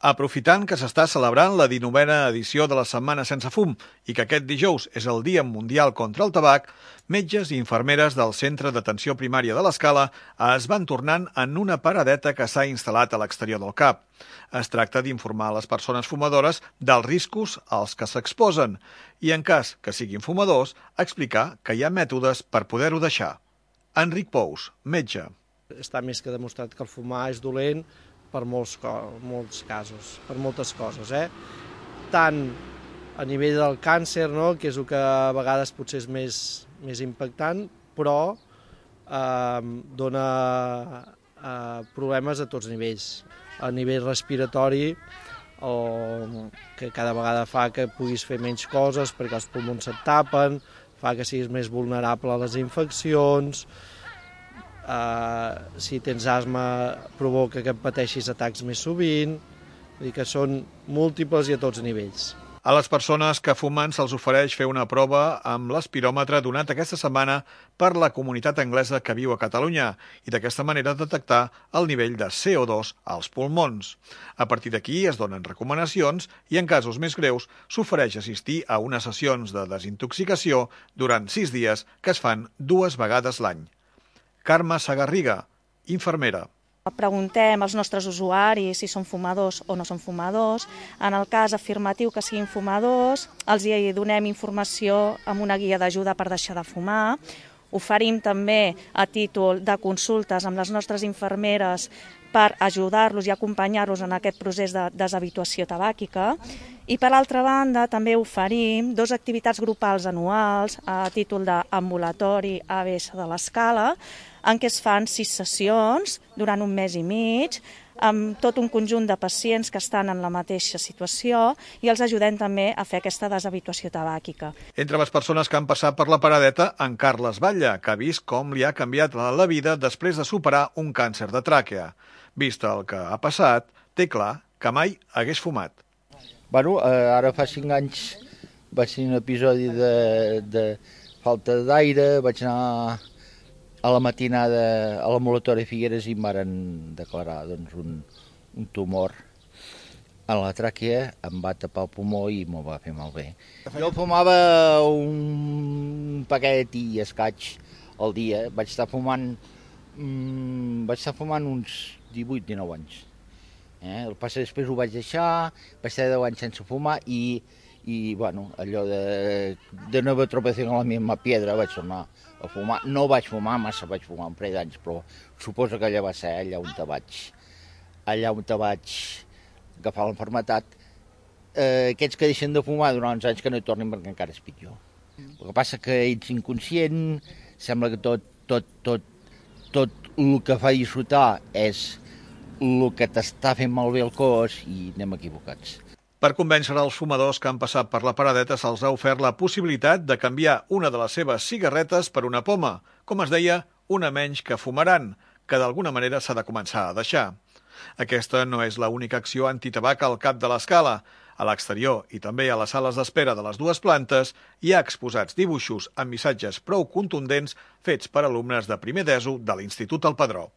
Aprofitant que s'està celebrant la 19a edició de la Setmana Sense Fum i que aquest dijous és el Dia Mundial contra el Tabac, metges i infermeres del Centre d'Atenció Primària de l'Escala es van tornant en una paradeta que s'ha instal·lat a l'exterior del CAP. Es tracta d'informar a les persones fumadores dels riscos als que s'exposen i, en cas que siguin fumadors, explicar que hi ha mètodes per poder-ho deixar. Enric Pous, metge. Està més que demostrat que el fumar és dolent per molts casos, per moltes coses, tant a nivell del càncer, que és el que a vegades potser és més impactant, però dona problemes a tots nivells. A nivell respiratori, que cada vegada fa que puguis fer menys coses perquè els pulmons se't tapen, fa que siguis més vulnerable a les infeccions. Si tens asma provoca que pateixis atacs més sovint, vull dir que són múltiples i a tots nivells. A les persones que fumen se'ls ofereix fer una prova amb l'aspiròmetre donat aquesta setmana per la comunitat anglesa que viu a Catalunya i d'aquesta manera detectar el nivell de CO2 als pulmons. A partir d'aquí es donen recomanacions i en casos més greus s'ofereix assistir a unes sessions de desintoxicació durant 6 dies que es fan 2 vegades l'any. Carme Sagarriga, infermera. Preguntem als nostres usuaris si són fumadors o no són fumadors. En el cas afirmatiu que siguin fumadors, els hi donem informació amb una guia d'ajuda per deixar de fumar. Oferim també a títol de consultes amb les nostres infermeres per ajudar-los i acompanyar-los en aquest procés de deshabituació tabàquica. I per altra banda també oferim 2 activitats grupals anuals a títol d'ambulatori ABS de l'Escala, en què es fan 6 sessions durant 1 mes i mig, amb tot un conjunt de pacients que estan en la mateixa situació i els ajudem també a fer aquesta deshabituació tabàquica. Entre les persones que han passat per la paradeta, en Carles Batlle, que ha vist com li ha canviat la vida després de superar un càncer de tràquea. Vist el que ha passat, té clar que mai hagués fumat. Ara fa 5 anys vaig tenir un episodi de falta d'aire, vaig anar a la matinada a l'ambulatori Figueres i em varen declarar un tumor a la tràquea, em va tapar el pulmó i m'ho va fer malbé. Jo fumava un paquet i escaig al dia, vaig estar fumant uns 18-19 anys. El que passa després ho vaig deixar, vaig estar 10 anys sense fumar i allò de nova tropeció en la misma piedra vaig tornar a fumar. No vaig fumar massa, vaig fumar un parell d'anys, però suposo que allà va ser allà on vaig agafar l'enfermetat. Aquests que deixen de fumar durant uns anys que no hi tornin perquè encara és pitjor. El que passa que ets inconscient, sembla que tot el que fa disfrutar és el que t'està fent malbé el cos i anem equivocats. Per convèncer els fumadors que han passat per la paradeta se'ls ha ofert la possibilitat de canviar una de les seves cigarretes per una poma, com es deia, una menys que fumaran, que d'alguna manera s'ha de començar a deixar. Aquesta no és l'única acció antitabac al CAP de l'Escala. A l'exterior i també a les sales d'espera de les 2 plantes hi ha exposats dibuixos amb missatges prou contundents fets per alumnes de primer d'ESO de l'Institut El Padró.